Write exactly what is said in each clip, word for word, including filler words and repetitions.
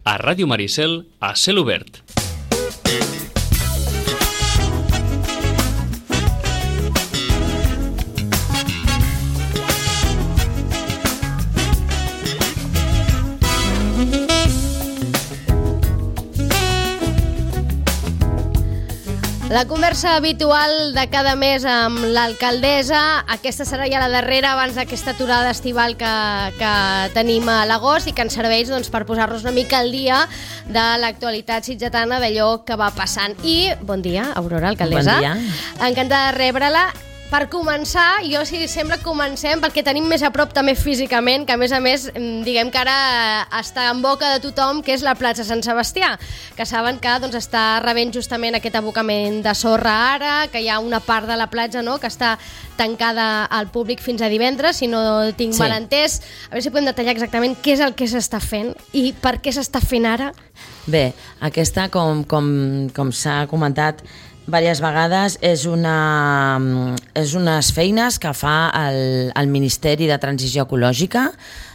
A Ràdio Maricel, a cel obert. La conversa habitual de cada mes amb l'alcaldessa. Aquesta serà ja la darrera abans d'aquesta aturada estival que, que tenim a l'agost i que ens serveix doncs, per posar-nos una mica al dia de l'actualitat sitgetana, d'allò que va passant. I bon dia, Aurora, alcaldessa. Bon dia. Encantada de rebre-la. Per començar, jo si sembla que comencem perquè tenim més a prop també físicament, que a més a més diguem que ara està en boca de tothom, que és la platja Sant Sebastià, que saben que doncs, està rebent justament aquest abocament de sorra ara, que hi ha una part de la platja, no?, que està tancada al públic fins a divendres, si no tinc Sí. mal entès. A veure si podem detallar exactament què és el que s'està fent i per què s'està fent ara. Bé, aquesta, com, com, com s'ha comentat diverses vegades, és, una, és unes feines que fa el, el Ministeri de Transició Ecològica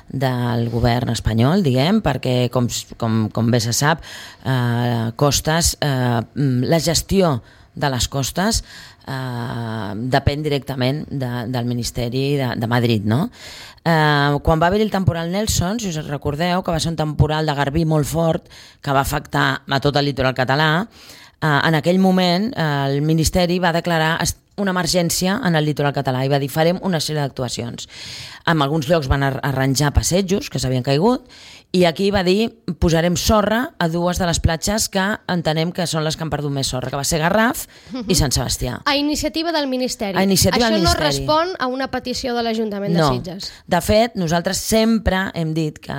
del govern espanyol, diguem, perquè, com, com, com bé se sap, eh, costes, eh, la gestió de les costes eh, depèn directament de, del Ministeri de, de Madrid, no? Eh, quan va haver el temporal Nelson, si us recordeu, que va ser un temporal de garbí molt fort que va afectar a tot el litoral català, Uh, en aquell moment uh, el Ministeri va declarar una emergència en el litoral català i va dir farem una sèrie d'actuacions. En alguns llocs van ar arranjar passejos que s'havien caigut i aquí va dir posarem sorra a dues de les platges que entenem que són les que han perdut més sorra, que va ser Garraf uh-huh. i Sant Sebastià. A iniciativa del Ministeri. A iniciativa Això del no Ministeri. respon a una petició de l'Ajuntament no. de Sitges. De fet, nosaltres sempre hem dit que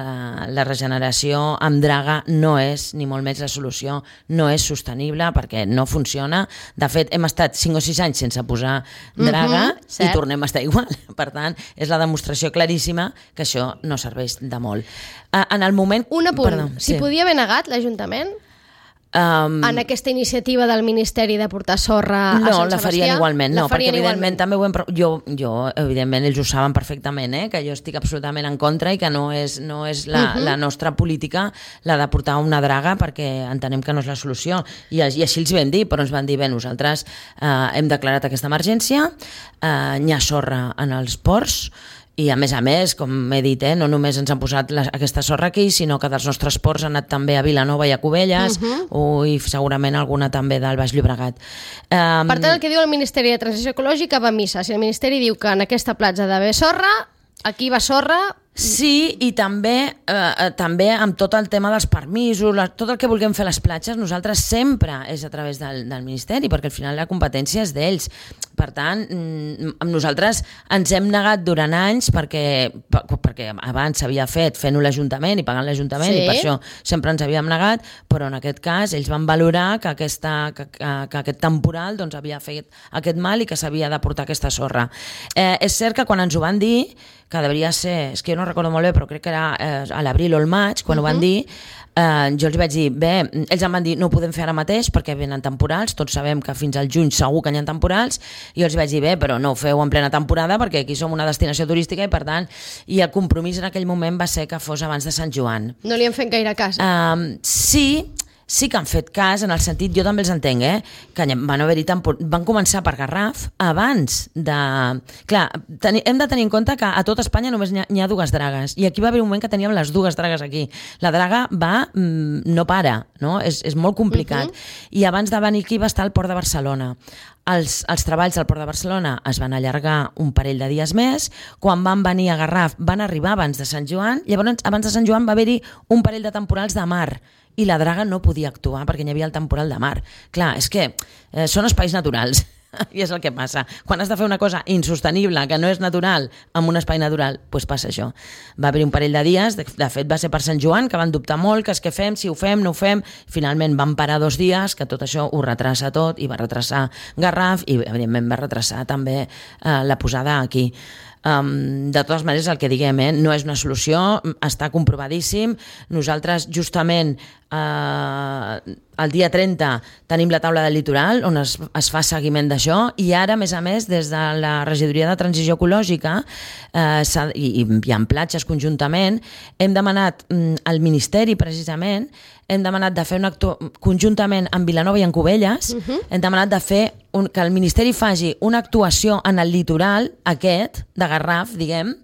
la regeneració amb draga no és, ni molt menys la solució, no és sostenible perquè no funciona. De fet, hem estat cinc o sis anys sense posar draga uh-huh, i tornem a estar igual. Per tant, és la demostració claríssima que això no serveix de molt. En el moment... Un apunt. Perdó, si sí. podia haver negat l'Ajuntament Um, en aquesta iniciativa del Ministeri de portar sorra a no, Sant Sebastià? la farien igualment, no, perquè evidentment igualment. també ho hem, jo, jo, evidentment, ells ho saben perfectament, eh, que jo estic absolutament en contra i que no és, no és la, uh-huh. la nostra política la de portar una draga perquè entenem que no és la solució. I, i així els vam dir, però ens van dir, bé, nosaltres eh, hem declarat aquesta emergència, eh, hi ha sorra en els ports, i a més a més, com he dit, eh, no només ens han posat la, aquesta sorra aquí, sinó que dels nostres ports han anat també a Vilanova i a Cubelles, uh-huh. o, i segurament alguna també del Baix Llobregat. Um, per tant, el que diu el Ministeri de Transició Ecològica va a missa. Si el Ministeri diu que en aquesta platja ha d'haver sorra, aquí va sorra... Sí, i també eh, també amb tot el tema dels permisos, la, tot el que vulguem fer a les platges, nosaltres sempre és a través del, del Ministeri, perquè al final la competència és d'ells. Per tant, amb nosaltres ens hem negat durant anys perquè, perquè abans s'havia fet fent-ho l'Ajuntament i pagant l'Ajuntament, sí. I per això sempre ens havíem negat, però en aquest cas ells van valorar que, aquesta, que, que, que aquest temporal doncs, havia fet aquest mal i que s'havia de portar aquesta sorra. Eh, és cert que quan ens ho van dir, que devia ser, és que jo no recordo molt bé, però crec que era eh, a l'abril o el maig, quan uh-huh. ho van dir, eh, jo els vaig dir, bé, ells em van dir, no ho podem fer ara mateix perquè venen temporals, tots sabem que fins al juny segur que hi ha temporals, i jo els vaig dir, bé, però no ho feu en plena temporada perquè aquí som una destinació turística i per tant, i el compromís en aquell moment va ser que fos abans de Sant Joan. No li han fet gaire cas. Um, sí, sí que han fet cas, en el sentit, jo també els entenc, eh, que van haver-hi tempor... van començar per Garraf abans de... Clar, teni... hem de tenir en compte que a tot Espanya només n'hi ha, n'hi ha dues dragues, i aquí va haver un moment que teníem les dues dragues aquí. La draga va... Mm, no para, no? És, és molt complicat. Uh-huh. I abans de venir aquí va estar al Port de Barcelona. Els, els treballs al Port de Barcelona es van allargar un parell de dies més. Quan van venir a Garraf van arribar abans de Sant Joan. Llavors, abans de Sant Joan va haver-hi un parell de temporals de mar i la draga no podia actuar perquè hi havia el temporal de mar. Clar, és que eh, són espais naturals i és el que passa. Quan has de fer una cosa insostenible, que no és natural, en un espai natural, doncs passa això. Va haver un parell de dies, de, de fet va ser per Sant Joan, que van dubtar molt, que és què fem, si ho fem, no ho fem. Finalment van parar dos dies, que tot això ho retrasa tot, i va retrasar Garraf, i evidentment va retrasar també eh, la posada aquí. Um, de totes maneres, el que diguem, eh, no és una solució, està comprovadíssim. Nosaltres, justament, eh, el dia trenta tenim la taula del litoral on es, es fa seguiment d'això, i ara, a més a més, des de la Regidoria de Transició Ecològica eh, i, i en platges conjuntament, hem demanat mm, al Ministeri, precisament, hem demanat de fer un acto conjuntament amb Vilanova i en Cubelles, uh -huh. hem demanat de fer un, que el Ministeri faci una actuació en el litoral aquest, de Garraf, diguem,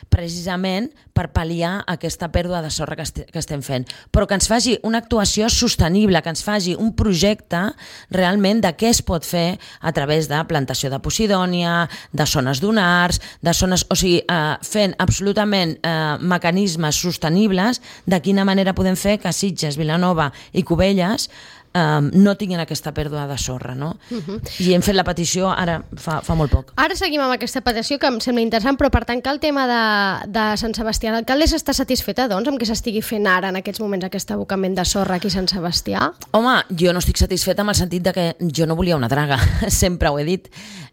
precisament per pal·liar aquesta pèrdua de sorra que, est que estem fent, però que ens faci una actuació sostenible, que ens faci un projecte realment de què es pot fer a través de plantació de posidònia, de zones dunars, de zones, o sigui, eh, fent absolutament eh, mecanismes sostenibles de quina manera podem fer que Sitges, Vilanova i Cubelles Um, no tinguin aquesta pèrdua de sorra, no? Uh -huh. I hem fet la petició ara fa, fa molt poc. Ara seguim amb aquesta petició que em sembla interessant, però per tancar el tema de, de Sant Sebastià, l'alcaldessa està satisfeta, doncs, amb què s'estigui fent ara en aquests moments aquest abocament de sorra aquí a Sant Sebastià? Home, jo no estic satisfeta amb el sentit de que jo no volia una draga, sempre ho he dit.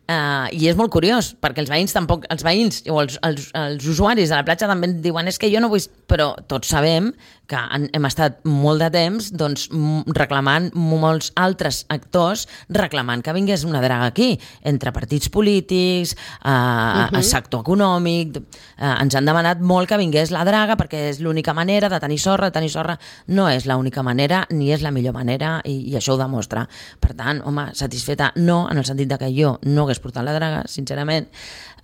Uh, I és molt curiós, perquè els veïns tampoc, els veïns o els, els, els usuaris de la platja també diuen és que jo no vull... Però tots sabem que hem estat molt de temps doncs, reclamant, molts altres actors reclamant que vingués una draga aquí, entre partits polítics, uh, uh-huh. el sector econòmic, uh, ens han demanat molt que vingués la draga perquè és l'única manera de tenir sorra, de tenir sorra no és l'única manera ni és la millor manera i, i això ho demostra. Per tant, home, satisfeta no, en el sentit de que jo no hagués portat la draga, sincerament,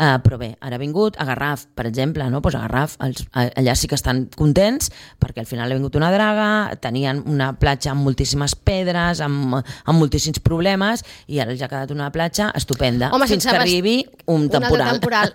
uh, però bé, ara ha vingut a Garraf, per exemple, no? Pues a Garraf els, allà sí que estan contents perquè al final ha vingut una draga, tenien una platja amb moltíssimes pedres, amb, amb moltíssims problemes i ara els ha quedat una platja estupenda. Home, fins que arribi un temporal. Un temporal.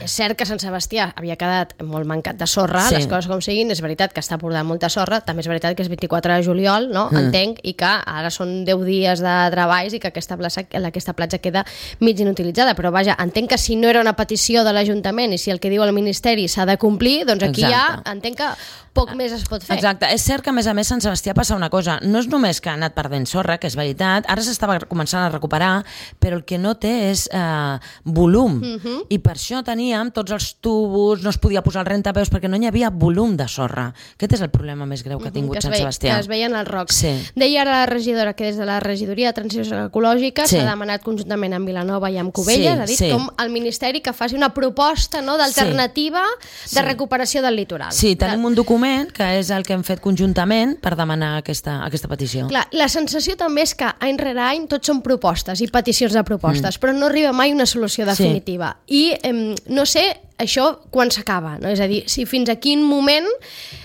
És cert que Sant Sebastià havia quedat molt mancat de sorra, sí. Les coses com siguin, és veritat que està portant molta sorra, també és veritat que és vint-i-quatre de juliol, no? Mm. Entenc, i que ara són deu dies de treballs i que aquesta platja, aquesta platja queda mig inutilitzada, però vaja, entenc que si no era una petició de l'Ajuntament i si el que diu el Ministeri s'ha de complir, doncs aquí Exacte. Ja entenc que poc més es pot fer. Exacte, és cert que a més a més Sant Sebastià passa una cosa, no és només que ha anat perdent sorra, que és veritat, ara s'estava començant a recuperar, però el que no té és eh, volum, uh-huh. i per això teníem tots els tubos, no es podia posar el rentapeus perquè no hi havia volum de sorra. Aquest és el problema més greu que ha tingut uh-huh, que Sant Sebastià. Que es veien els rocs. Sí. Deia ara la regidora que des de la Regidoria de Transició Ecològica s'ha sí. demanat conjuntament amb Vilanova i amb Cubelles, sí, ha dit sí. com el Ministeri que faci una proposta, no, d'alternativa sí. de recuperació del litoral. Sí, tenim un document que és el que hem fet conjuntament per demanar aquesta, aquesta petició. Clar, la sensació també és que any rere any tots són propostes i peticions de propostes, mm. però no arriba mai una solució definitiva. Sí. I eh, no sé això quan s'acaba, no? És a dir, si fins a quin moment,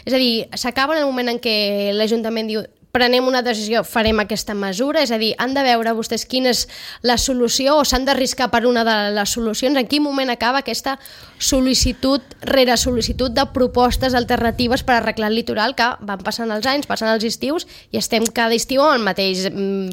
és a dir, s'acaba en el moment en què l'Ajuntament diu prenem una decisió, farem aquesta mesura, és a dir, han de veure vostès quina és la solució o s'han d'arriscar per una de les solucions, en quin moment acaba aquesta sol·licitud rere sol·licitud de propostes alternatives per arreglar el litoral, que van passant els anys, passant els estius i estem cada estiu amb el mateix,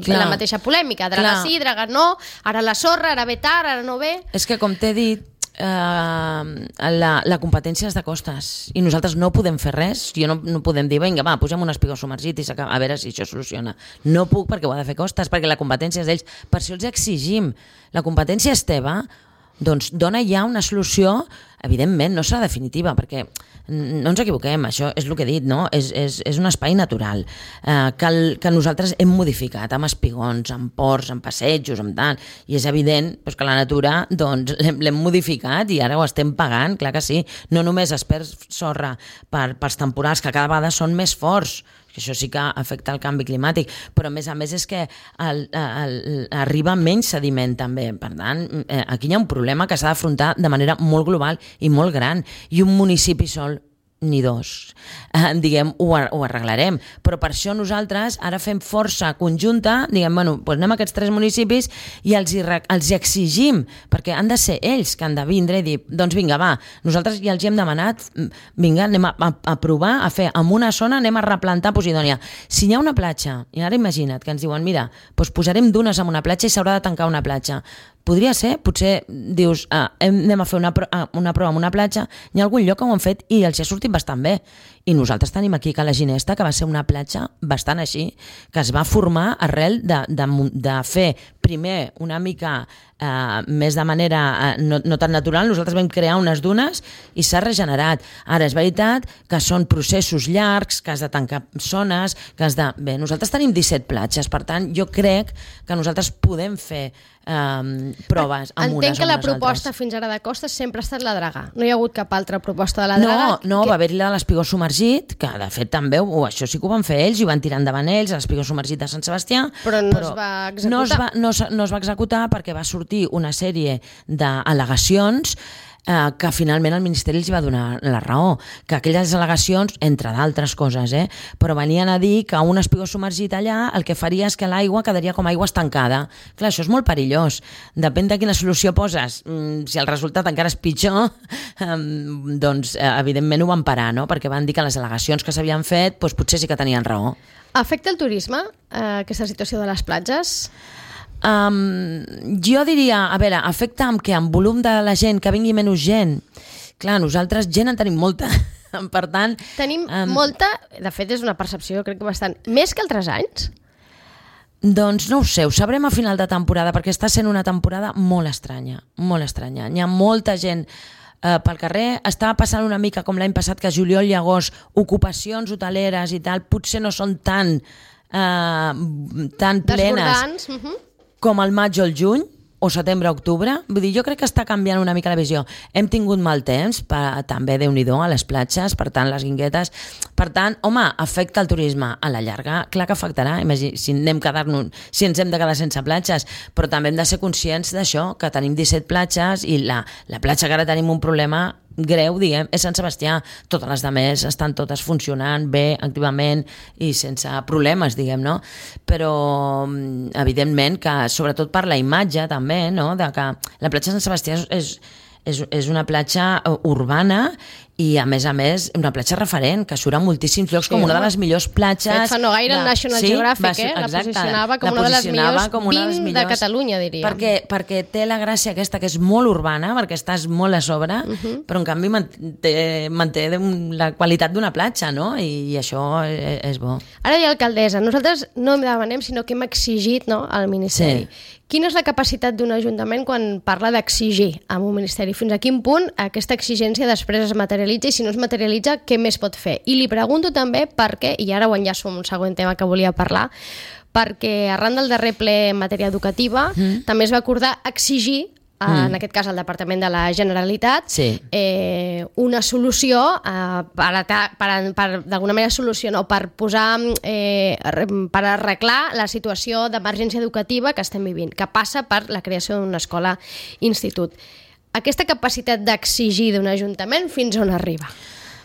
la mateixa polèmica, draga sí, draga no, ara la sorra, ara ve tard, ara no ve... És que com t'he dit, Uh, la, la competència és de costes i nosaltres no podem fer res. Jo no, no podem dir, vinga, va, posem un espigó submergit i a veure si això soluciona. No puc perquè ho ha de fer costes, perquè la competència és d'ells. Per això els exigim. La competència és teva, doncs dona ja una solució, evidentment no serà definitiva, perquè no ens equivoquem, això és el que he dit, no? És, és, és un espai natural eh, que, el, que nosaltres hem modificat amb espigons, amb ports, amb passejos, amb tant, i és evident doncs, que la natura doncs, l'hem modificat i ara ho estem pagant, clar que sí. No només es perd sorra per, pels temporals que cada vegada són més forts, que això sí que afecta el canvi climàtic, però a més a més és que el, el, arriba menys sediment també. Per tant, aquí hi ha un problema que s'ha d'afrontar de manera molt global i molt gran, i un municipi sol ni dos, eh, diguem, ho, ho arreglarem, però per això nosaltres ara fem força conjunta, diguem, bueno, doncs anem a aquests tres municipis i els hi, els hi exigim, perquè han de ser ells que han de vindre i dir, doncs vinga, va, nosaltres ja els hi hem demanat, vinga, anem a, a, a provar, a fer, en una zona anem a replantar Posidònia. Si hi ha una platja, i ara imagina't que ens diuen, mira, doncs posarem dunes en una platja i s'haurà de tancar una platja. Podria ser, potser dius, ah, anem a fer una, una prova en una platja, hi ha algun lloc que ho han fet i els ha sortit bastant bé. I nosaltres tenim aquí Cala Ginesta, que va ser una platja bastant així, que es va formar arrel de, de, de fer primer una mica eh, més de manera eh, no, no tan natural. Nosaltres vam crear unes dunes i s'ha regenerat. Ara és veritat que són processos llargs, que has de tancar zones, que has de... Bé, nosaltres tenim disset platges, per tant, jo crec que nosaltres podem fer Um, proves amb unes Entenc que o la unes proposta altres. fins ara de Costa sempre ha estat la Dragà. No hi ha hagut cap altra proposta de la Dragà? No, no que... va haver-hi la de l'Espigó Submergit, que de fet també, oh, això sí que ho van fer ells, i ho van tirar endavant ells, l'Espigó Submergit de Sant Sebastià. Però no però es va executar. No es va, no, no es va executar perquè va sortir una sèrie d'al·legacions Eh, que finalment el Ministeri els va donar la raó, que aquelles al·legacions, entre d'altres coses, eh, però venien a dir que un espigó submergit allà el que faria és que l'aigua quedaria com aigua estancada. Clar, això és molt perillós. Depèn de quina solució poses. Mm, si el resultat encara és pitjor, eh, doncs eh, evidentment ho van parar, no? Perquè van dir que les al·legacions que s'havien fet doncs potser sí que tenien raó. Afecta el turisme, eh, aquesta situació de les platges? Um, jo diria, a veure, afecta amb què? Amb volum de la gent, que vingui menys gent. Clar, nosaltres gent en tenim molta. Per tant... Tenim um, molta, de fet és una percepció, crec que bastant, més que altres anys? Doncs no ho sé, ho sabrem a final de temporada, perquè està sent una temporada molt estranya, molt estranya. Hi ha molta gent eh, pel carrer, estava passant una mica com l'any passat, que juliol i agost, ocupacions hoteleres i tal, potser no són tan, eh, tan plenes. Desbordants, uh -huh. com el maig o el juny, o setembre-octubre. Vull dir, jo crec que està canviant una mica la visió. Hem tingut mal temps, per, també Déu-n'hi-do, a les platges, per tant, les guinguetes. Per tant, home, afecta el turisme. A la llarga, clar que afectarà. Imagina, si, anem quedar-nos, si ens hem de quedar sense platges, però també hem de ser conscients d'això, que tenim disset platges i la, la platja que ara tenim un problema greu, diguem, és Sant Sebastià. Totes les demés estan totes funcionant bé, activament i sense problemes, diguem, no? Però, evidentment, que sobretot per la imatge, també, no?, de que la platja de Sant Sebastià és, és, és una platja urbana i, a més a més, una platja referent, que surt a moltíssims llocs, sí, com una de les millors platges... Fet fa no gaire, de... el National sí, Geographic, ser, eh? La exacte, posicionava com la una de les millors com una de, les vint millors, de Catalunya, diria. Perquè, perquè té la gràcia aquesta, que és molt urbana, perquè estàs molt a sobre, uh -huh. però en canvi manté, manté la qualitat d'una platja, no? I, i això és, és bo. Ara hi ha alcaldessa. Nosaltres no em demanem, sinó que hem exigit, no?, al Ministeri. Sí. Quina és la capacitat d'un ajuntament quan parla d'exigir a un ministeri? Fins a quin punt aquesta exigència després es materialitza i si no es materialitza, què més pot fer? I li pregunto també perquè, i ara ho enllaço amb un següent tema que volia parlar, perquè arran del darrer ple en matèria educativa mm. també es va acordar exigir, mm. en aquest cas al Departament de la Generalitat, sí. eh, una solució eh, per, per, per d'alguna manera solucionar o per posar eh, per arreglar la situació d'emergència educativa que estem vivint, que passa per la creació d'una escola-institut. Aquesta capacitat d'exigir d'un ajuntament fins on arriba?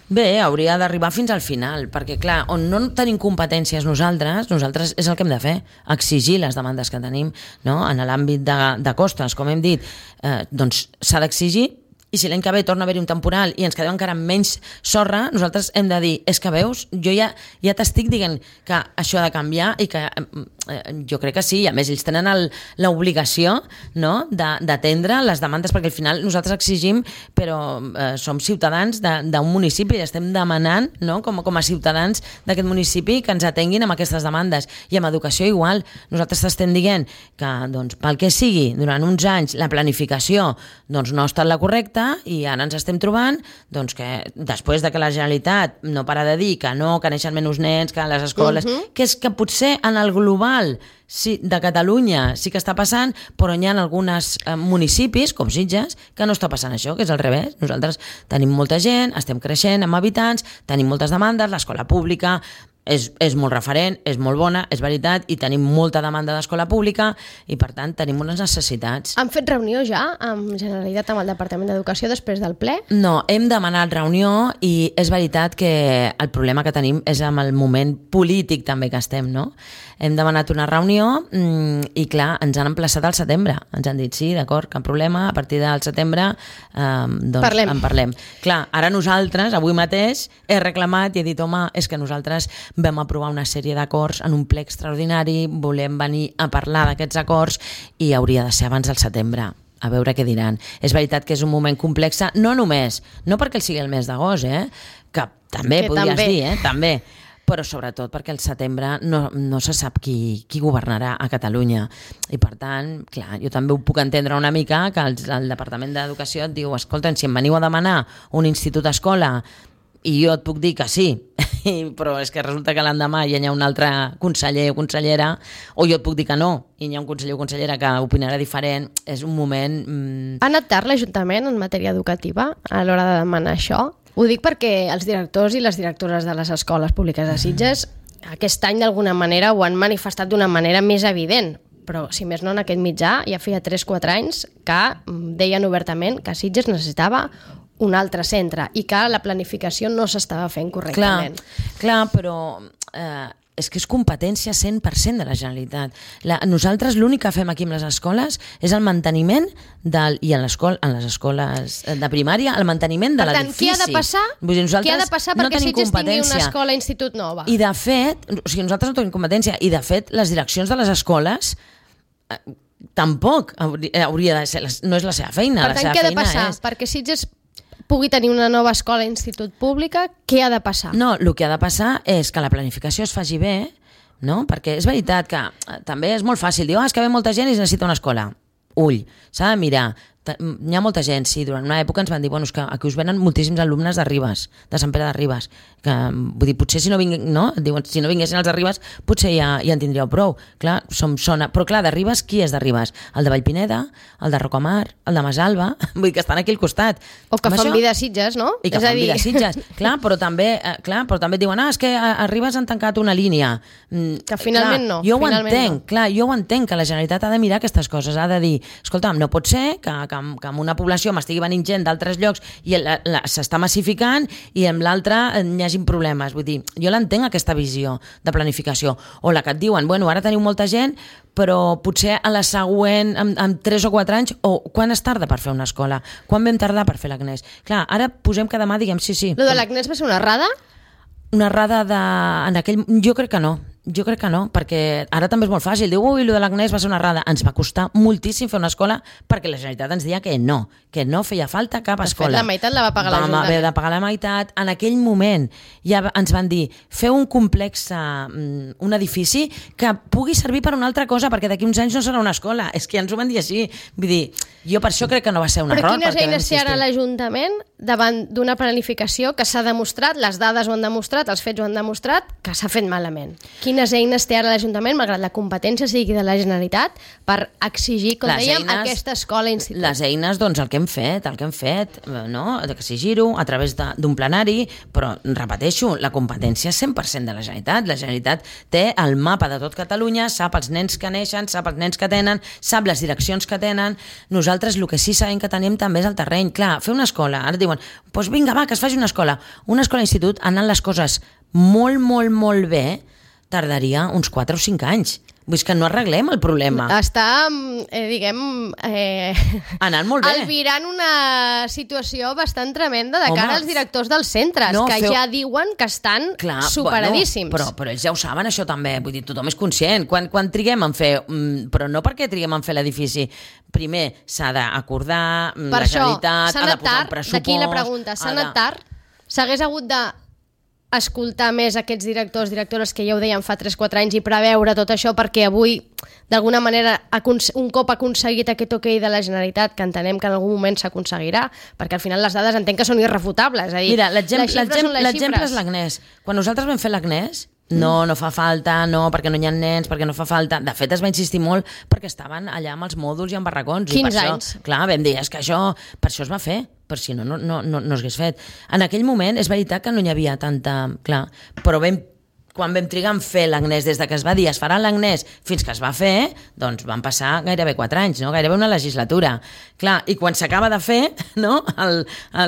Bé, hauria d'arribar fins al final, perquè clar, on no tenim competències nosaltres, nosaltres és el que hem de fer, exigir les demandes que tenim, no? En l'àmbit de, de costes, com hem dit, eh, doncs s'ha d'exigir, i si l'any que ve torna a haver-hi un temporal i ens quedem encara amb menys sorra, nosaltres hem de dir, és que veus, jo ja, ja t'estic dient que això ha de canviar i que eh, jo crec que sí, i a més ells tenen l'obligació, no?, d'atendre les demandes, perquè al final nosaltres exigim, però eh, som ciutadans d'un de, municipi i estem demanant, no?, com, com a ciutadans d'aquest municipi que ens atenguin amb aquestes demandes. I amb educació igual, nosaltres estem dient que, doncs, pel que sigui, durant uns anys la planificació doncs, no ha estat la correcta, i ara ens estem trobant doncs, que després de que la Generalitat no para de dir que no, que neixen menys nens, que les escoles, uh -huh. que és que potser en el global sí, de Catalunya sí que està passant, però hi ha alguns eh, municipis, com Sitges, que no està passant això, que és al revés. Nosaltres tenim molta gent, estem creixent amb habitants, tenim moltes demandes, l'escola pública és, és molt referent, és molt bona, és veritat, i tenim molta demanda d'escola pública i, per tant, tenim unes necessitats. Han fet reunió ja amb Generalitat, amb el Departament d'Educació, després del ple? No, hem demanat reunió i és veritat que el problema que tenim és amb el moment polític també que estem, no? Hem demanat una reunió i, clar, ens han emplaçat al setembre. Ens han dit, sí, d'acord, cap problema, a partir del setembre eh, doncs parlem. en parlem. Clar, ara nosaltres, avui mateix, he reclamat i he dit, home, és que nosaltres vam aprovar una sèrie d'acords en un ple extraordinari, volem venir a parlar d'aquests acords i hauria de ser abans del setembre. a veure què diran. És veritat que és un moment complex, no només, no perquè el sigui el mes d'agost, eh? que també que podries també. dir, eh? també, però sobretot perquè el setembre no, no se sap qui, qui governarà a Catalunya. I per tant, clar, jo també ho puc entendre una mica, que el, el Departament d'Educació et diu, escolta, si em veniu a demanar un institut-escola i jo et puc dir que sí, però és que resulta que l'endemà ja hi ha un altre conseller o consellera, o jo et puc dir que no, i hi ha un conseller o consellera que opinarà diferent, és un moment... Mmm... Ha anat tard l'Ajuntament en matèria educativa a l'hora de demanar això? Ho dic perquè els directors i les directores de les escoles públiques de Sitges aquest any d'alguna manera ho han manifestat d'una manera més evident, però si més no en aquest mitjà ja feia tres o quatre anys que deien obertament que Sitges necessitava un altre centre i que la planificació no s'estava fent correctament. Clar, clar però eh, és que és competència cent per cent de la Generalitat. La, nosaltres l'únic que fem aquí amb les escoles és el manteniment del, i en, en les escoles de primària, el manteniment de l'edifici. Per tant, què ha de passar, Vull dir, què ha de passar perquè no Sitges tingui una escola-institut nova? I de fet, o sigui, nosaltres no tenim competència, i de fet les direccions de les escoles eh, tampoc hauria de ser, no és la seva feina. Per tant, què ha de passar? És... perquè Sitges pugui tenir una nova escola i institut pública, què ha de passar? No, el que ha de passar és que la planificació es faci bé, no? Perquè és veritat que també és molt fàcil dir, oh, és que ve molta gent i es necessita una escola. Ull, s'ha de mirar. Hi ha molta gent, sí, durant una època ens van dir, bueno, és que aquí us venen moltíssims alumnes de Ribes, de Sant Pere de Ribes, que, vull dir, potser si no, vingu, no? Diuen, si no vinguessin els de Ribes, potser ja, ja en tindríeu prou. Clar, som, sona... Però clar, de Ribes, qui és de Ribes? El de Vallpineda, el de Rocamar, el de Masalba, vull dir que estan aquí al costat. O que fan això... vida a Sitges, no? I que és fan dir... vida a Sitges, clar, però també, eh, clar, però també et diuen, ah, és que a, a Ribes han tancat una línia. Mm, que finalment clar, no. Jo ho finalment entenc, no. clar, jo ho entenc, que la Generalitat ha de mirar aquestes coses, ha de dir, escolta'm, no pot ser que, que, que amb una població m'estigui venint gent d'altres llocs i s'està massificant i amb l'altra hi hagin problemes. Vull dir, jo l'entenc aquesta visió de planificació. O la que et diuen, bueno, ara teniu molta gent, però potser a la següent, amb, amb tres o quatre anys, o quan es tarda per fer una escola? Quan vam tardar per fer l'Agnès? Clar, ara posem que demà diguem sí, sí. Lo de l'Agnès va ser una errada? Una errada de... En aquell... Jo crec que no. Jo crec que no, perquè ara també és molt fàcil. Diu, ui, allò de l'Agnès va ser una errada. Ens va costar moltíssim fer una escola perquè la Generalitat ens deia que no, que no feia falta cap escola. De fet, la meitat la va pagar l'Ajuntament. Vam haver de pagar la meitat. En aquell moment ja ens van dir, feu un complex, un edifici que pugui servir per una altra cosa, perquè d'aquí uns anys no serà una escola. És que ja ens ho van dir així. Vull dir, jo per això crec que no va ser un Però error. Però quines eines té ara l'Ajuntament davant d'una planificació que s'ha demostrat, les dades ho han demostrat, els fets ho han demostrat, que s'ha fet malament? Quines eines té ara l'Ajuntament, malgrat la competència sigui de la Generalitat, per exigir, com les dèiem, eines, aquesta escola institut? Les eines, doncs, el que hem fet, el que hem fet, no? Exigir-ho a través d'un plenari, però, repeteixo, la competència és cent per cent de la Generalitat. La Generalitat té el mapa de tot Catalunya, sap els nens que neixen, sap els nens que tenen, sap les direccions que tenen. Nosaltres el que sí sabem que tenim també és el terreny. Clar, fer una escola, ara diuen, doncs vinga, va, que es faci una escola. Una escola-institut, anant les coses molt, molt, molt bé, tardaria uns quatre o cinc anys. Vull dir que no arreglem el problema. Està, eh, diguem... Eh, anant molt bé. Albirant una situació bastant tremenda de Home, cara als directors dels centres, no, que feu... ja diuen que estan Clar, superadíssims. Bueno, però, però ells ja ho saben, això també. Vull dir, tothom és conscient. Quan, quan triguem en fer... Però no perquè triguem en fer l'edifici. Primer, s'ha d'acordar la Generalitat, ha de posar un pressupost... D'aquí la pregunta. S'ha anat tard? S'hagués hagut de... escoltar més aquests directors, directores que ja ho deien fa tres o quatre anys i preveure tot això perquè avui, d'alguna manera, un cop aconseguit aquest ok de la Generalitat, que entenem que en algun moment s'aconseguirà, perquè al final les dades entenc que són irrefutables. És a dir, Mira, l'exemple és l'Agnès. Quan nosaltres vam fer l'Agnès, no, no fa falta, no, perquè no hi ha nens, perquè no fa falta... De fet, es va insistir molt perquè estaven allà amb els mòduls i amb barracons. quinze i per anys. Això, clar, vam dir, és que això, per això es va fer, per si no, no, no, no, no s'hagués fet. En aquell moment és veritat que no hi havia tanta... Clar, però vam, quan vam trigar en fer l'Agnès, des de que es va dir es farà l'Agnès fins que es va fer, doncs van passar gairebé quatre anys, no? Gairebé una legislatura. Clar, i quan s'acaba de fer, no? El,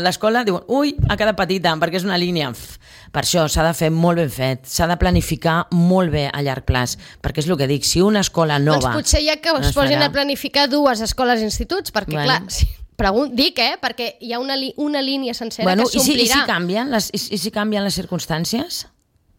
l'escola diuen, ui, ha quedat petita, perquè és una línia... Per això s'ha de fer molt ben fet, s'ha de planificar molt bé a llarg plaç, perquè és el que dic, si una escola nova... Doncs potser ja que es posin a planificar dues escoles i instituts, perquè bueno. clar... Sí. Pregun- dic, eh? Perquè hi ha una, li- una línia sencera bueno, que s'omplirà. I si, i si canvien les, i, i si canvien les circumstàncies?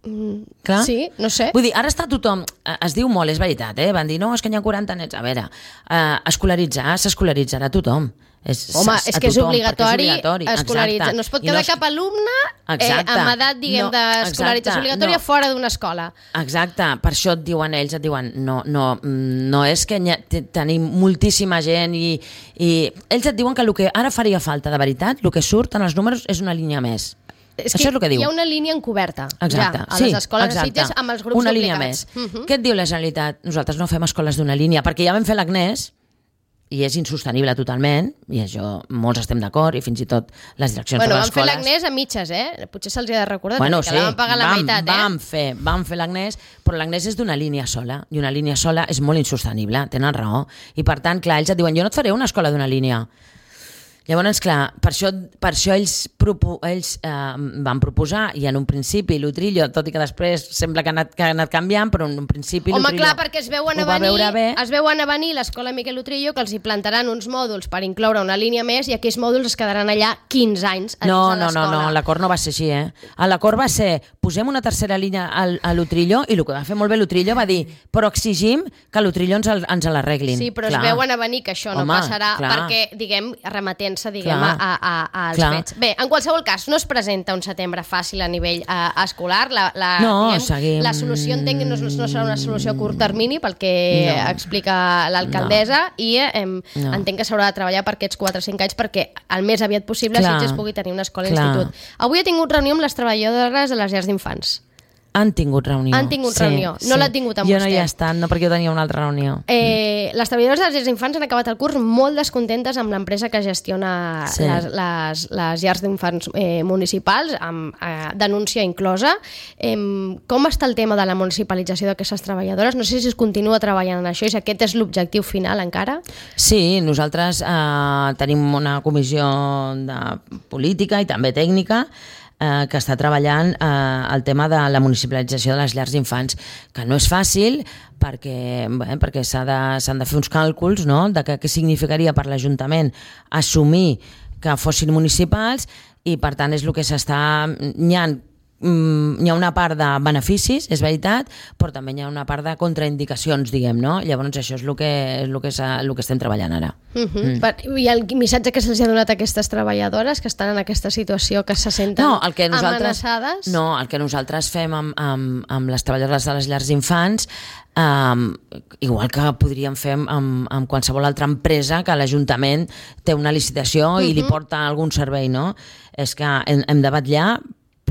Mm, Clar? sí, no sé. Vull dir, ara està tothom... Es diu molt, és veritat, eh? Van dir, no, és que hi ha quaranta nets. A veure, eh, escolaritzar, s'escolaritzarà tothom. És, Home, és que és tothom, obligatori, és obligatori escolaritzar. No es pot quedar no es... cap alumne eh, amb edat, diguem, no, d'escolarització obligatòria no. fora d'una escola. Exacte, per això et diuen ells, et diuen, no, no, no és que ha, tenim moltíssima gent i, i ells et diuen que el que ara faria falta de veritat, el que surt en els números és una línia més. És Això que és el que diu. Hi ha una línia encoberta exacte, ja, a sí, les escoles exacte. de Sitges amb els grups una obligats. Línia més. Uh -huh. Què et diu la Generalitat? Nosaltres no fem escoles d'una línia, perquè ja vam fer l'Agnès i és insostenible totalment, i això molts estem d'acord, i fins i tot les direccions bueno, de les escoles... Bueno, vam fer l'Agnès a mitges, eh? Potser se'ls ha de recordar bueno, que sí, la vam pagar la vam, meitat, eh? Vam fer, vam fer l'Agnès, però l'Agnès és d'una línia sola, i una línia sola és molt insostenible, tenen raó. I per tant, clar, ells et diuen, jo no et faré una escola d'una línia. Llavors, clar, per això, per això ells, propo, ells eh, van proposar, i en un principi l'Utrillo, tot i que després sembla que ha anat, que ha anat canviant, però en un principi Home, l'Utrillo clar, perquè es veuen a venir, es veuen a venir l'escola Miquel Utrillo, que els hi plantaran uns mòduls per incloure una línia més, i aquells mòduls es quedaran allà quinze anys a no, dins de l'escola. No, no, no, l'acord no va ser així, eh? L'acord va ser, posem una tercera línia al, a l'Utrillo, i el que va fer molt bé l'Utrillo va dir, però exigim que l'Utrillo ens, ens l'arreglin. Sí, però clar. Es veuen a venir que això Home, no passarà, clar. perquè, diguem, remetent-se, diguem, clar. a A, als Clar. fets. Bé, en qualsevol cas, no es presenta un setembre fàcil a nivell uh, escolar. La, la, no, diguem, seguim... la solució entenc que no, no serà una solució a curt termini pel que no. explica l'alcaldessa no. i eh, no. entenc que s'haurà de treballar per aquests quatre o cinc anys perquè el més aviat possible Sitges pugui tenir una escola Clar. institut. Avui he tingut reunió amb les treballadores de les llars d'infants. Han tingut reunió. Han tingut sí, reunió. No sí. l'ha tingut amb jo vostè. Jo no hi he estat, no, perquè jo tenia una altra reunió. Eh, les treballadores de les llars d'infants han acabat el curs molt descontentes amb l'empresa que gestiona sí. les, les, les llars d'infants eh, municipals, amb eh, denúncia inclosa. Eh, com està el tema de la municipalització d'aquestes treballadores? No sé si es continua treballant en això i si aquest és l'objectiu final encara. Sí, nosaltres eh, tenim una comissió de política i també tècnica Eh, que està treballant eh, el tema de la municipalització de les llars d'infants, que no és fàcil perquè, bé, perquè s'ha de, s'han de fer uns càlculs, no?, de què, què significaria per l'Ajuntament assumir que fossin municipals, i per tant és el que s'està... N'hi ha hi ha una part de beneficis, és veritat, però també hi ha una part de contraindicacions, diguem, no? Llavors això és el que, és el que, el que estem treballant ara. Uh -huh. mm. per, I el missatge que se'ls ha donat a aquestes treballadores que estan en aquesta situació, que se senten no, el que nosaltres, amenaçades? No, el que nosaltres fem amb, amb, amb les treballadores de les llars d'infants, Um, igual que podríem fer amb, amb qualsevol altra empresa que l'Ajuntament té una licitació uh-huh. i li porta algun servei, no? És que hem, hem de vetllar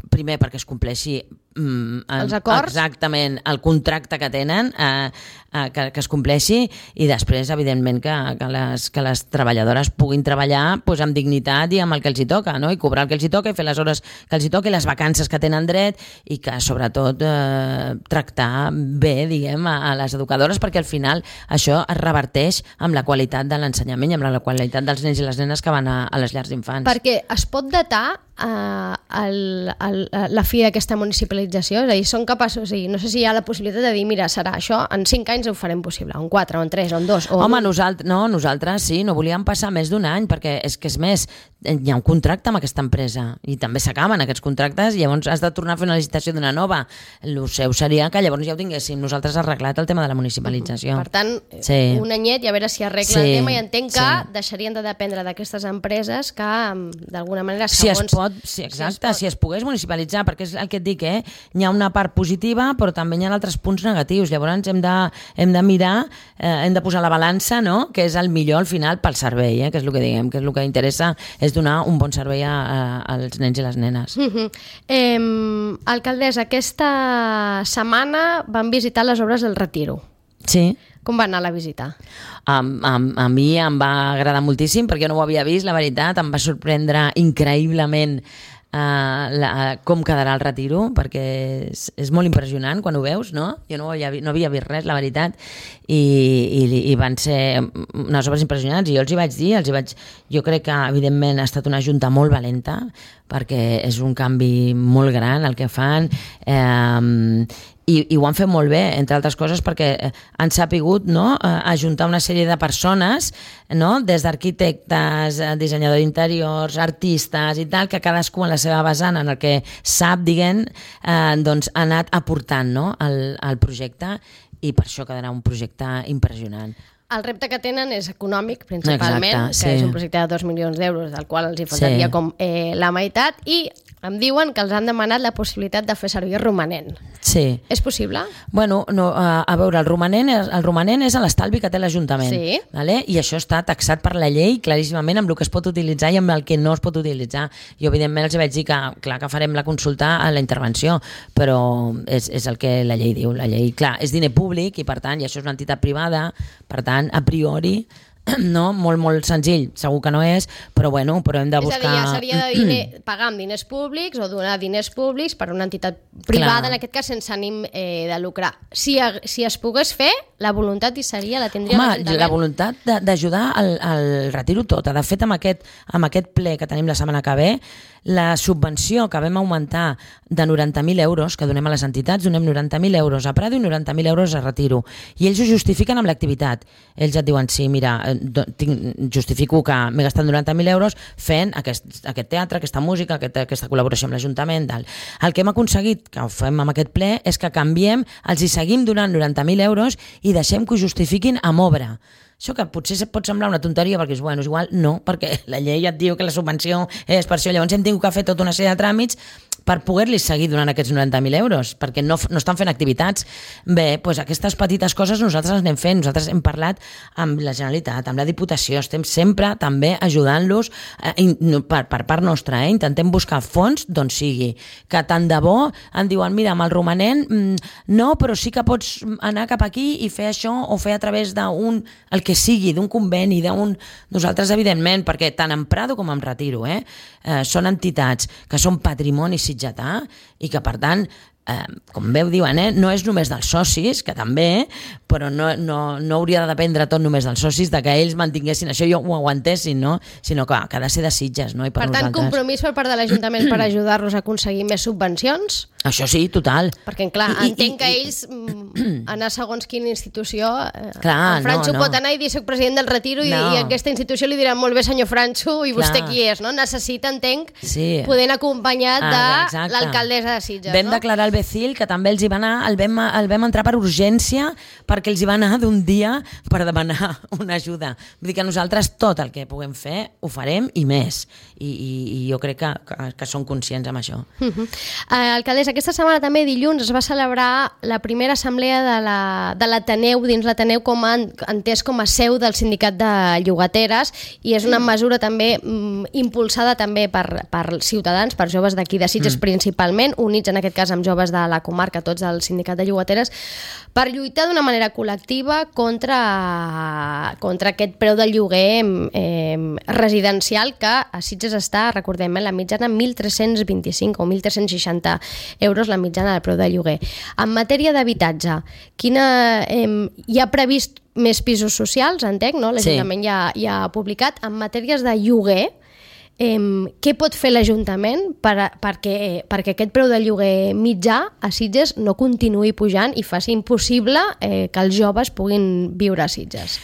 primer perquè es compleixi mm, els acords, exactament el contracte que tenen, eh, eh, que, que es compleixi, i després evidentment que, que, les, que les treballadores puguin treballar pues, amb dignitat i amb el que els hi toca, no? I cobrar el que els hi toca i fer les hores que els hi toca i les vacances que tenen dret, i que sobretot eh, tractar bé, diguem, a, a les educadores, perquè al final això es reverteix amb la qualitat de l'ensenyament i amb la qualitat dels nens i les nenes que van a, a les llars d'infants. Perquè es pot datar eh, el, el, la fi d'aquesta municipalització? És a dir, són capaços, i no sé si hi ha la possibilitat de dir, mira, serà això, en cinc anys ho farem possible, o en quatre, o en tres, o en dos. O Home, nosaltres, no, nosaltres sí, no volíem passar més d'un any, perquè és que és més, hi ha un contracte amb aquesta empresa, i també s'acaben aquests contractes, i llavors has de tornar a fer una licitació d'una nova. El seu seria que llavors ja ho tinguéssim nosaltres arreglat el tema de la municipalització. Per tant, sí. un anyet i a veure si arregla sí, el tema, i entenc que sí. deixarien de dependre d'aquestes empreses que, d'alguna manera, segons... Si es pot, sí, exacte, si es, si es pogués municipalitzar, perquè és el que et dic, eh? Hi ha una part positiva, però també hi ha altres punts negatius. Llavors hem de, hem de mirar, eh, hem de posar la balança, no?, que és el millor al final pel servei, eh? Que és el que diguem, que és el que interessa, és donar un bon servei a, a, als nens i les nenes. Uh -huh. eh, alcaldessa, aquesta setmana van visitar les obres del Retiro. Sí. Com va anar la visita? A, a, a mi em va agradar moltíssim, perquè jo no ho havia vist, la veritat, em va sorprendre increïblement Uh, la, com quedarà el Retiro, perquè és, és molt impressionant quan ho veus, no? Jo no havia, no havia vist res, la veritat, i, i, i van ser unes obres impressionants, i jo els hi vaig dir, els hi vaig... jo crec que evidentment ha estat una junta molt valenta, perquè és un canvi molt gran el que fan, eh, i, i ho han fet molt bé, entre altres coses perquè han sapigut, no, ajuntar una sèrie de persones, no, des d'arquitectes, dissenyadors d'interiors, artistes i tal, que cadascú en la seva vessant, en el que sap, diguem, eh, doncs ha anat aportant, no, al, al projecte, i per això quedarà un projecte impressionant. El repte que tenen és econòmic, principalment, Exacte, sí. que és un projecte de dos milions d'euros, del qual els hi faltaria Sí. com eh, la meitat, i em diuen que els han demanat la possibilitat de fer servir romanent. Sí. És possible? Bueno, no, a, a veure, el romanent, és, el romanent és l'estalvi que té l'Ajuntament, Sí. vale? I això està taxat per la llei claríssimament amb el que es pot utilitzar i amb el que no es pot utilitzar. Jo, evidentment, els vaig dir que, clar, que farem la consulta a la intervenció, però és, és el que la llei diu. La llei, clar, és diner públic i, per tant, i això és una entitat privada, per tant, a priori, no, molt, molt senzill, segur que no és, però bueno, però hem de buscar... És a dir, ja seria de diner, pagar amb diners públics o donar diners públics per una entitat privada, Clar. en aquest cas sense ànim eh, de lucrar. Si, si es pogués fer, la voluntat hi seria, la tindria Home, l'Ajuntament. la voluntat de- d'ajudar al, al retiro tot. De fet, amb aquest, amb aquest ple que tenim la setmana que ve, la subvenció que vam augmentar de noranta mil euros, que donem a les entitats, donem noranta mil euros a Prado i noranta mil euros a retiro. I ells ho justifiquen amb l'activitat. Ells et diuen, sí, mira, do, tinc, justifico que m'he gastat noranta mil euros fent aquest, aquest teatre, aquesta música, aquest, aquesta col·laboració amb l'Ajuntament. Tal. El que hem aconseguit, que ho fem amb aquest ple, és que canviem, els hi seguim donant noranta mil euros i deixem que ho justifiquin amb obra. Això que potser pot semblar una tonteria perquè és, bueno, és igual, no, perquè la llei et diu que la subvenció és per això, llavors hem tingut que fer tota una sèrie de tràmits per poder-li seguir donant aquests noranta mil euros, perquè no, no estan fent activitats. Bé, doncs aquestes petites coses nosaltres les anem fent, nosaltres hem parlat amb la Generalitat, amb la Diputació, estem sempre també ajudant-los eh, per, per part nostra, eh? Intentem buscar fons d'on sigui, que tant de bo em diuen, mira, amb el romanent mm, no, però sí que pots anar cap aquí i fer això o fer a través d'un, el que sigui, d'un conveni, d'un... Nosaltres, evidentment, perquè tant en Prado com en Retiro, eh, eh, són entitats que són patrimoni sitgetà i que, per tant, eh, com bé ho diuen, eh, no és només dels socis, que també, però no, no, no hauria de dependre tot només dels socis, de que ells mantinguessin això i ho aguantessin, no? Sinó que, que ha de ser de Sitges, no? I per, Per tant, nosaltres... compromís per part de l'Ajuntament per ajudar-los a aconseguir més subvencions? Això sí, total. Perquè, clar, I- i- entenc que i- ells mm, anar segons quina institució... Eh, Clar, el Franxo no, no. pot anar i dir soc president del Retiro i, No. i aquesta institució li dirà molt bé senyor Franxo i vostè Clar. qui és, no? Necessita, entenc, Sí. poder anar acompanyat Ah, de exacte. l'alcaldessa de Sitges, Vam no? declarar el Becil, que també els hi va anar, el vam, el vam entrar per urgència perquè els hi va anar d'un dia per demanar una ajuda. Vull dir que nosaltres tot el que puguem fer ho farem i més. I, i, i jo crec que, que, que són conscients amb això. Uh -huh. uh, alcaldessa, aquesta setmana també dilluns es va celebrar la primera assemblea de la, de l'Ateneu, dins l'Ateneu com a, entès com a seu del sindicat de llogateres, i és una mesura també mm, impulsada també per, per ciutadans, per joves d'aquí de Sitges mm. principalment, units en aquest cas amb joves de la comarca, tots del sindicat de llogateres, per lluitar d'una manera col·lectiva contra, contra aquest preu del lloguer eh, residencial que a Sitges està, recordem, eh, la mitjana mil tres-cents vint-i-cinc o mil tres-cents seixanta euros la mitjana del preu del lloguer. En matèria d'habitatge, quina eh, hi ha previst més pisos socials, entenc, no? L'Ajuntament sí. ja, ja ha publicat. En matèries de lloguer, eh, què pot fer l'Ajuntament per, perquè, perquè aquest preu de lloguer mitjà a Sitges no continuï pujant i faci impossible eh, que els joves puguin viure a Sitges?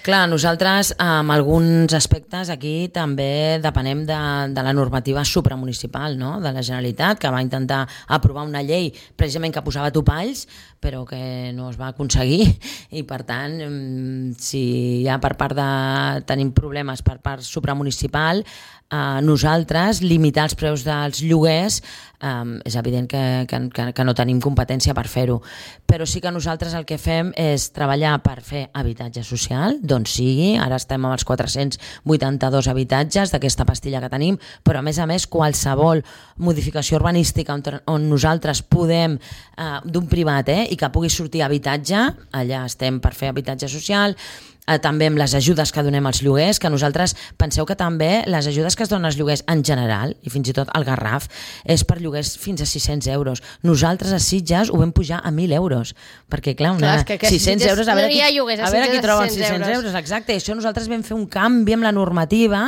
Clar, nosaltres amb alguns aspectes aquí també depenem de, de la normativa supramunicipal, no? De la Generalitat, que va intentar aprovar una llei precisament que posava topalls, però que no es va aconseguir, i per tant, si ja per part de tenim problemes per part supramunicipal, eh, nosaltres limitar els preus dels lloguers eh, és evident que, que, que no tenim competència per fer-ho, però sí que nosaltres el que fem és treballar per fer habitatge social, doncs sigui, ara estem amb els quatre-cents vuitanta-dos habitatges d'aquesta pastilla que tenim, però a més a més qualsevol modificació urbanística on, on nosaltres podem, eh, d'un privat, eh, i que pugui sortir habitatge, allà estem per fer habitatge social. eh, també amb les ajudes que donem als lloguers, que nosaltres penseu que també les ajudes que es donen als lloguers en general, i fins i tot al Garraf, és per lloguers fins a sis-cents euros. Nosaltres a Sitges ho vam pujar a mil euros, perquè clar, una, clar, que, que sis-cents euros, a veure, no qui, lloguers, a veure qui troba els sis-cents sis-cents euros, exacte, i això nosaltres vam fer un canvi amb la normativa,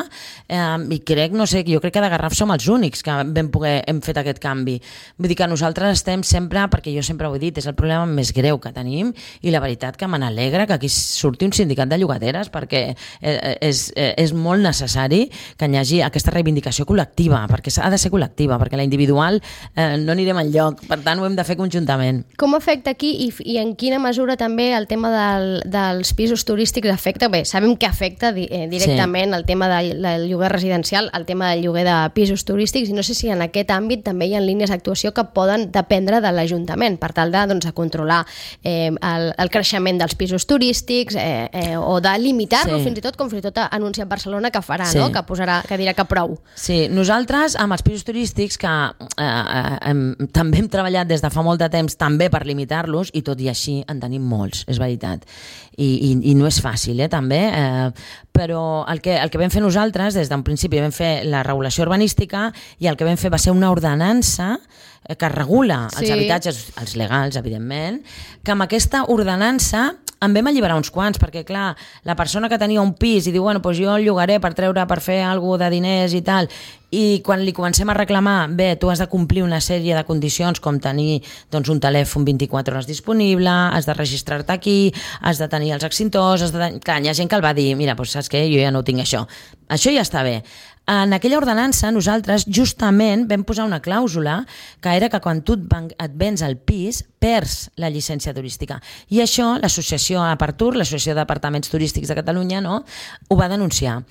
eh, i crec, no sé, jo crec que de Garraf som els únics que vam poder, hem fet aquest canvi. Vull dir que nosaltres estem sempre, perquè jo sempre ho he dit, és el problema més greu que tenim, i la veritat que me n'alegra que aquí surti un sindicat de llogateres, perquè és, és molt necessari que hi hagi aquesta reivindicació col·lectiva, perquè ha de ser col·lectiva, perquè la individual eh, no anirem enlloc, per tant ho hem de fer conjuntament. Com afecta aquí i, i en quina mesura també el tema del, dels pisos turístics afecta? Bé, sabem que afecta eh, directament sí. el tema del, del lloguer residencial, el tema del lloguer de pisos turístics, i no sé si en aquest àmbit també hi ha línies d'actuació que poden dependre de l'Ajuntament per tal de, doncs, de controlar eh, el, el creixement dels pisos turístics eh, eh, o de limitar-lo, sí. fins i tot com fins i tot ha anunciat Barcelona que farà, sí. no? que posarà, que dirà que prou. Sí, nosaltres amb els pisos turístics que eh, eh, hem, també hem treballat des de fa molt de temps també per limitar-los, i tot i així en tenim molts, és veritat. I, i, i no és fàcil, eh, també, eh, però el que, el que vam fer nosaltres, des d'un principi vam fer la regulació urbanística, i el que vam fer va ser una ordenança que regula els sí. habitatges, els legals, evidentment, que amb aquesta ordenança en vam alliberar uns quants, perquè clar, la persona que tenia un pis i diu, bueno, doncs jo el llogaré per treure, per fer alguna de diners i tal, i quan li comencem a reclamar, bé, tu has de complir una sèrie de condicions, com tenir doncs, un telèfon vint-i-quatre hores disponible, has de registrar-te aquí, has de tenir els extintors, has de tenir... clar, hi ha gent que el va dir, mira, doncs saps què, jo ja no tinc això. Això ja està bé. En aquella ordenança nosaltres justament vam posar una clàusula que era que quan tu et vens al pis perds la llicència turística, i això l'associació Apertur, l'associació d'apartaments turístics de Catalunya, no, ho va denunciar,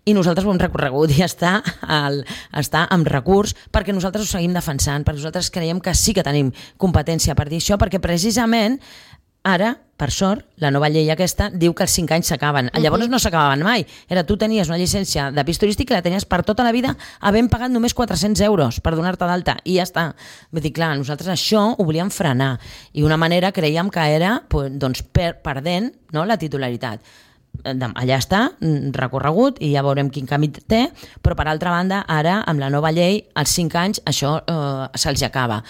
i nosaltres ho hem recorregut i està, al, està amb recurs, perquè nosaltres ho seguim defensant, perquè nosaltres creiem que sí que tenim competència per dir això, perquè precisament ara, per sort, la nova llei aquesta diu que els cinc anys s'acaben. Uh-huh. Llavors no s'acabaven mai. Era, tu tenies una llicència de pis turístic i la tenies per tota la vida, havent pagat només quatre-cents euros per donar-te d'alta, i ja està. Vull dir, clar, nosaltres això ho volíem frenar, i una manera creiem que era doncs, per, perdent, no, la titularitat. Allà està, recorregut, i ja veurem quin camí té, però per altra banda, ara, amb la nova llei, als cinc anys això eh, se'ls acaba.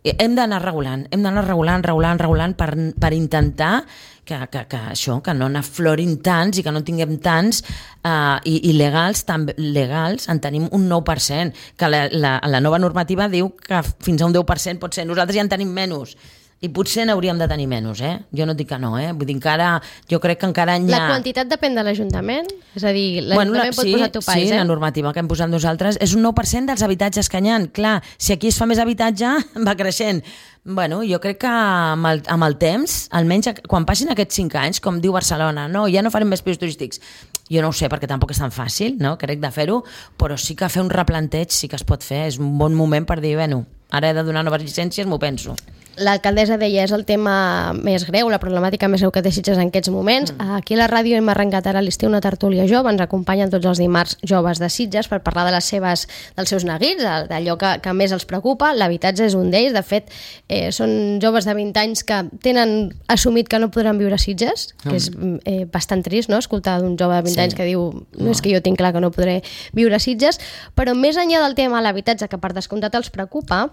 Hem d'anar regulant, hem d'anar regulant, regulant, regulant per, per intentar que, que, que això, que no n'aflorin tants i que no tinguem tants uh, i, i legals, també, legals en tenim un nou per cent, que la, la, la nova normativa diu que fins a un deu per cent pot ser, nosaltres ja en tenim menys. I potser n'hauríem de tenir menys, eh? Jo no dic que no, eh? Vull dir, encara, jo crec que encara hi ha... La quantitat depèn de l'Ajuntament? És a dir, l'Ajuntament bueno, la, pot sí, posar topalls, sí, eh? la normativa que hem posat nosaltres és un nou per cent dels habitatges que hi ha. Clar, si aquí es fa més habitatge, va creixent. Bueno, jo crec que amb el, amb el temps, almenys quan passin aquests cinc anys, com diu Barcelona, no, ja no farem més pisos turístics. Jo no ho sé, perquè tampoc és tan fàcil, no?, crec, de fer-ho, però sí que fer un replanteig sí que es pot fer. És un bon moment per dir, bueno, ara he de donar noves llicències, m'ho penso. L'alcaldessa deia, és el tema més greu, la problemàtica més greu que té Sitges en aquests moments. Mm. Aquí a la ràdio hem arrencat ara a l'estiu una tertúlia jove, ens acompanyen tots els dimarts joves de Sitges per parlar de les seves, dels seus neguits, d'allò que, que més els preocupa. L'habitatge és un d'ells. De fet, eh, són joves de vint anys que tenen assumit que no podran viure a Sitges, que és eh, bastant trist, no?, escoltar d'un jove de vint sí. anys que diu no, no és que jo tinc clar que no podré viure a Sitges. Però més enllà del tema de l'habitatge, que per descomptat els preocupa,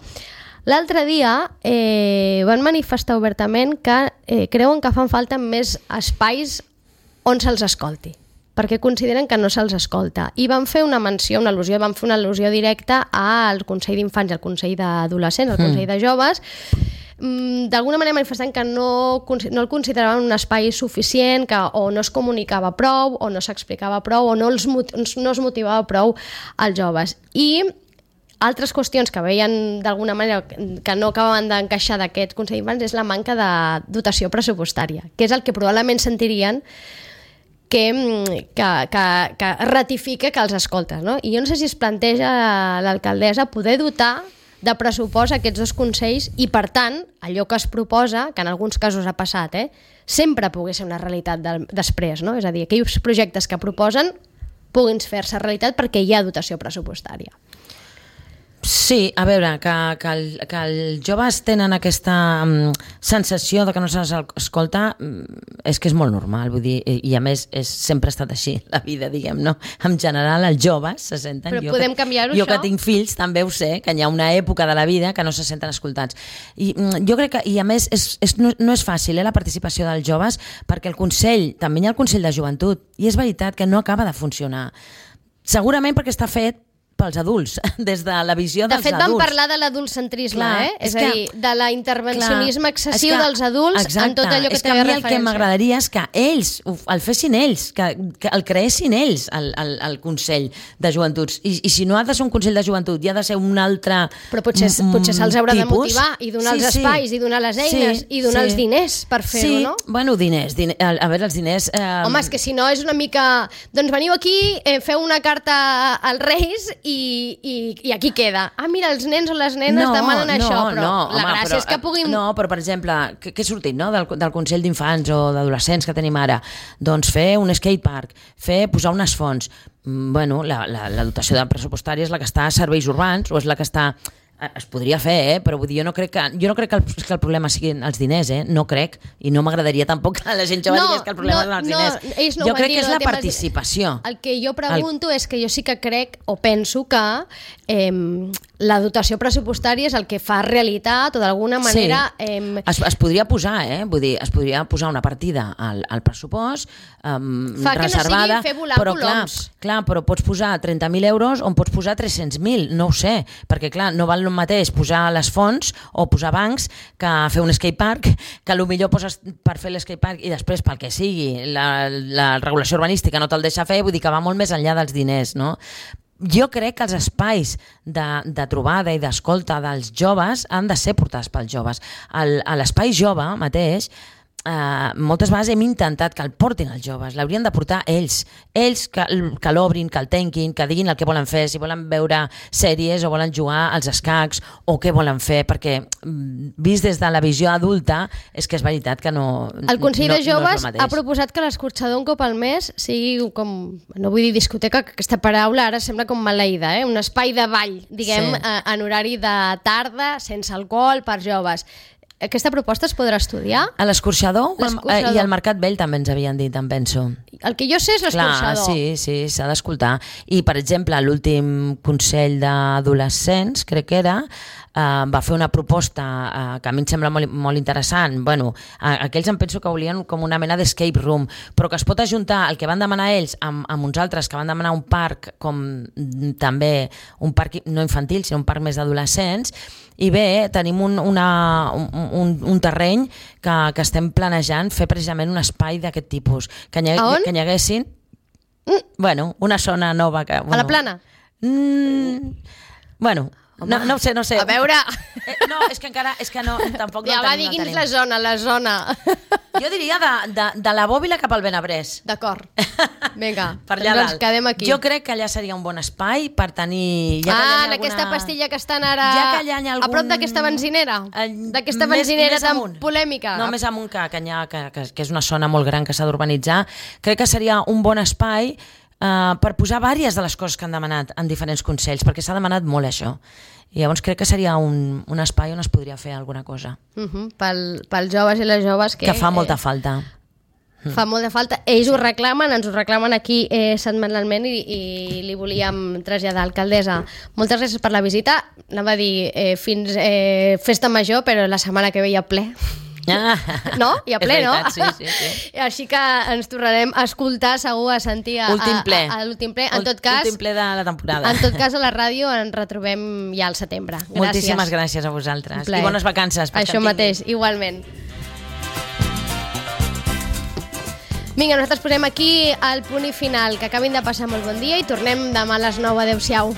l'altre dia eh, van manifestar obertament que eh, creuen que fan falta més espais on se'ls escolti, perquè consideren que no se'ls escolta. I van fer una menció, una al·lusió, van fer una al·lusió directa al Consell d'Infants i al Consell d'Adolescents, al Consell de Joves, d'alguna manera manifestant que no, no el consideraven un espai suficient, que o no es comunicava prou, o no s'explicava prou, o no, els, no es motivava prou als joves. I altres qüestions que veien d'alguna manera que no acabaven d'encaixar d'aquest Consell d'Infants és la manca de dotació pressupostària, que és el que probablement sentirien que, que, que, que ratifica que els escoltes, no? I jo no sé si es planteja l'alcaldessa poder dotar de pressupost aquests dos consells i, per tant, allò que es proposa, que en alguns casos ha passat, eh, sempre pugui ser una realitat de, després, no? És a dir, aquells projectes que proposen puguin fer-se realitat perquè hi ha dotació pressupostària. Sí, a veure, que, que, el, que els joves tenen aquesta um, sensació de que no se'ls escolta, um, és que és molt normal, vull dir, i, i a més és, sempre ha estat així la vida, diguem, no? En general els joves se senten... Però jo podem que, canviar-ho, jo això? que tinc fills també ho sé, que hi ha una època de la vida que no se senten escoltats. I um, jo crec que, i a més, és, és, no, no és fàcil eh, la participació dels joves, perquè el Consell, també hi ha el Consell de Joventut, i és veritat que no acaba de funcionar. Segurament perquè està fet pels adults, des de la visió dels adults. De fet, vam parlar de l'adultcentrisme, eh? És, és a dir, de l'intervencionisme excessiu que, dels adults exacte, en tot allò que té referència. És que a mi el que m'agradaria és que ells el fessin ells, que, que el creessin ells, el, el, el Consell de Joventuts. I, I si no ha de ser un Consell de Joventut, hi ha de ser un altre Però potser, potser se'ls haurà tipus. de motivar i donar sí, els espais, sí. i donar les eines, sí, i donar sí. els diners per fer-ho, sí. no? Bueno, diners. diners a veure, els diners... Eh... Home, és que si no és una mica... Doncs veniu aquí, eh, feu una carta als Reis i, i, i aquí queda. Ah, mira, els nens o les nenes no, demanen no, això, però no, la home, gràcia però, és que puguin... No, però per exemple, què, què ha sortit no? del, del Consell d'Infants o d'Adolescents que tenim ara? Doncs fer un skatepark, fer posar unes fonts. Bueno, la, la, la dotació de pressupostària és la que està a serveis urbans o és la que està... Es podria fer, eh? Però vull dir, jo no crec que, jo no crec que, el, que el problema siguin els diners, eh? No crec, i no m'agradaria tampoc que la gent jove no, digués que el problema no, són els no, diners. No jo crec dir, que és no la participació. El que jo pregunto el... és que jo sí que crec, o penso que eh, la dotació pressupostària és el que fa realitat o d'alguna manera... Sí. Eh, es, es podria posar, eh? Vull dir, es podria posar una partida al, al pressupost eh, fa reservada, que no sigui fer volar però clar, clar, però pots posar trenta mil euros o en pots posar tres-cents mil, no ho sé, perquè clar, no val el mateix posar les fonts o posar bancs que fer un skatepark, que potser poses per fer l'eskatepark i després pel que sigui la, la regulació urbanística no te'l deixa fer, vull dir que va molt més enllà dels diners, no? Jo crec que els espais de, de trobada i d'escolta dels joves han de ser portats pels joves. El, a l'espai jove mateix Uh, moltes vegades hem intentat que el portin els joves, l'haurien de portar ells ells que, que l'obrin, que el tanquin, que diguin el que volen fer, si volen veure sèries o volen jugar als escacs o què volen fer, perquè vist des de la visió adulta és que és veritat que no el Consell no, de Joves no ha proposat que l'escorxador un cop al mes sigui com, no vull dir discoteca, que aquesta paraula ara sembla com maleïda, eh? Un espai de ball, diguem, sí. en horari de tarda, sense alcohol, per joves. Aquesta proposta es podrà estudiar? A l'escorxador i al Mercat Vell també ens havien dit, em penso. El que jo sé és l'escorxador. Sí, sí, s'ha d'escoltar. I, per exemple, l'últim Consell d'Adolescents, crec que era, eh, va fer una proposta eh, que a mi em sembla molt, molt interessant. Bueno, eh, aquells em penso que volien com una mena d'escape room, però que es pot ajuntar el que van demanar ells amb, amb uns altres que van demanar un parc, com també un parc no infantil, sinó un parc més d'adolescents. I bé, tenim un, una, un, un terreny que, que estem planejant fer precisament un espai d'aquest tipus. Que hi, que hi haguessin mm. bueno, una zona nova. Que, bueno, a la Plana? Mm, bueno, no, no ho sé, no ho sé. A veure... Eh, no, és que encara... És que no, tampoc ja no va, tenim, digui'ns no la zona, la zona. Jo diria de, de, de la Bòbila cap al Benabrés. D'acord. Vinga, per allà doncs ens quedem aquí. Jo crec que allà seria un bon espai per tenir... Ja ah, en alguna... aquesta pastilla que estan ara ja que algun... a prop d'aquesta benzinera? D'aquesta benzinera tan amunt. Polèmica? No, més amunt que, que, ha, que, que, que és una zona molt gran que s'ha d'urbanitzar. Crec que seria un bon espai Uh, per posar vàries de les coses que han demanat en diferents consells, perquè s'ha demanat molt això. I llavors crec que seria un, un espai on es podria fer alguna cosa. Uh-huh. Pel, pels joves i les joves que... Que fa molta eh, falta. Fa molta falta. Ells ho reclamen, ens ho reclamen aquí eh, setmanalment i, i li volíem traslladar, alcaldessa. Moltes gràcies per la visita. Anava a dir eh, fins eh, festa major, però la setmana que ve hi ha ple. Ah, no? I a ple, veritat, no? Sí, sí, sí. Així que ens tornarem a escoltar, segur, a sentir a, últim ple. A, a, a l'últim ple. En tot cas, últim ple de la temporada. En tot cas, a la ràdio ens retrobem ja al setembre. Gràcies. Moltíssimes gràcies a vosaltres. I bones vacances. Això mateix, igualment. Vinga, nosaltres posem aquí el punt i final. Que acabin de passar molt bon dia i tornem demà a les nou. Adéu-siau.